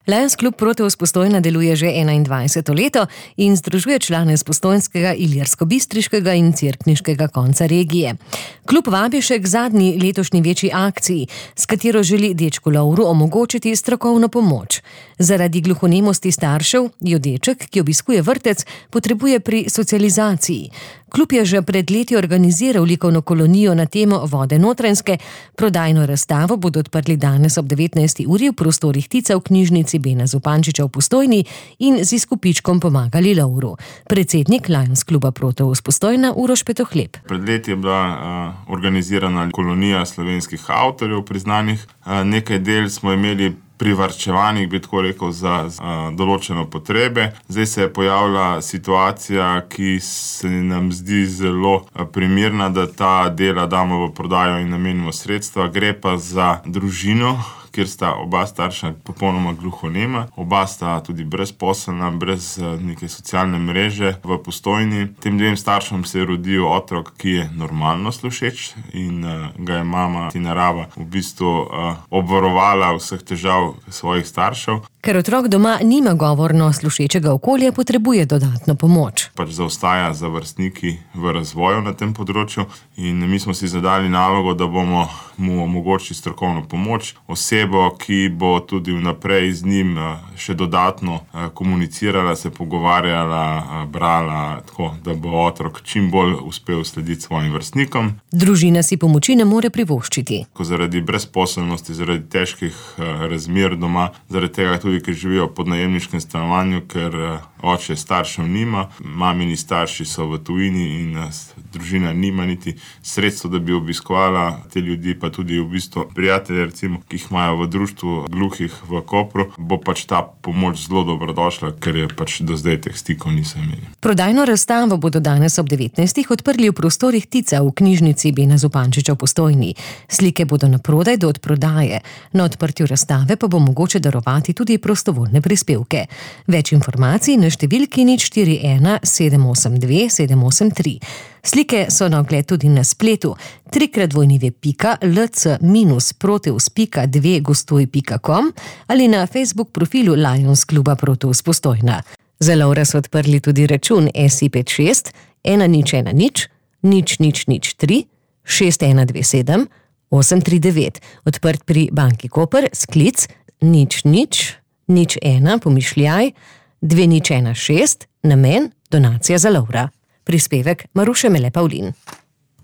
Lions klub Proteus Postojna deluje že 21. leto in združuje člane z postojnskega, ilirsko-bistriškega in cerkniškega konca regije. Klub vabi še k zadnji letošnji večji akciji, s katero želi dečku Lovru omogočiti strokovno pomoč. Zaradi gluhonemosti staršev jo deček, ki obiskuje vrtec, potrebuje pri socializaciji. Klub je že pred leti organiziral likovno kolonijo na temo Vode Notranjske. Prodajno razstavo bodo odprli danes ob 19. uri v prostorih Tica v knjižnici Bena Zupančiča v Postojni in z izkupičkom pomagali Lovru. Predsednik Lions kluba Proteus Postojna Uroš Petohleb. Pred leti je bila organizirana kolonija slovenskih avtorjev priznanih. Nekaj del smo imeli privarčevanih, bi tako rekel, za določene potrebe. Zdaj se je pojavila situacija, ki se nam zdi zelo primerna, da ta dela damo v prodajo in namenimo sredstva. Gre pa za družino, kjer sta oba starša popolnoma gluhonema, oba sta tudi brezposelna, brez neke socialne mreže v Postojni. Tem dvem staršem se je rodil otrok, ki je normalno slušeč in ga je mama Tinarava v bistvu obvarovala vseh težav svojih staršev. Ker otrok doma nima govorno slušečega okolja, potrebuje dodatno pomoč. Zaostaja za vrstniki v razvoju na tem področju in mi smo si zadali nalogo, da bomo mu omogočili strokovno pomoč, osebo, ki bo tudi vnaprej z njim še dodatno komunicirala, se pogovarjala, brala, tako da bo otrok čim bolj uspel slediti svojim vrstnikom. Družina si pomoči ne more privoščiti. Zaradi brezposelnosti, zaradi težkih razmer doma, zaradi tega tudi, ker živijo pod najemniškem stanovanju, ker oče staršev nima, mamini starši so v tujini in družina nima niti sredstva, da bi obiskovala te ljudi, pa tudi v bistvu prijatelje, recimo, ki jih imajo v društvu gluhih v Kopru, bo ta pomoč zelo dobrodošla, ker je do zdaj teh stikov niso imeli. Prodajno razstavo bodo danes ob 19. odprli v prostorih Tica v knjižnici Bena Zupančiča v Postojni. Slike bodo na prodaj do odprodaje. Na odprtju razstave pa bo mogoče darovati tudi prostovoljne prispevke. Več informacij na številki 041 782 783. Slike so na ogled tudi na spletu www.lc-proteus.2gostuj.com ali na Facebook profilu Lions kluba Proteus Postojna. Za Lovra so odprli tudi račun SI56 1010 0003 6127 839, odprt pri Banki Koper, sklic 0001 216, namen donacija za Lovra. Prispevek Maruše Mele Pavlin.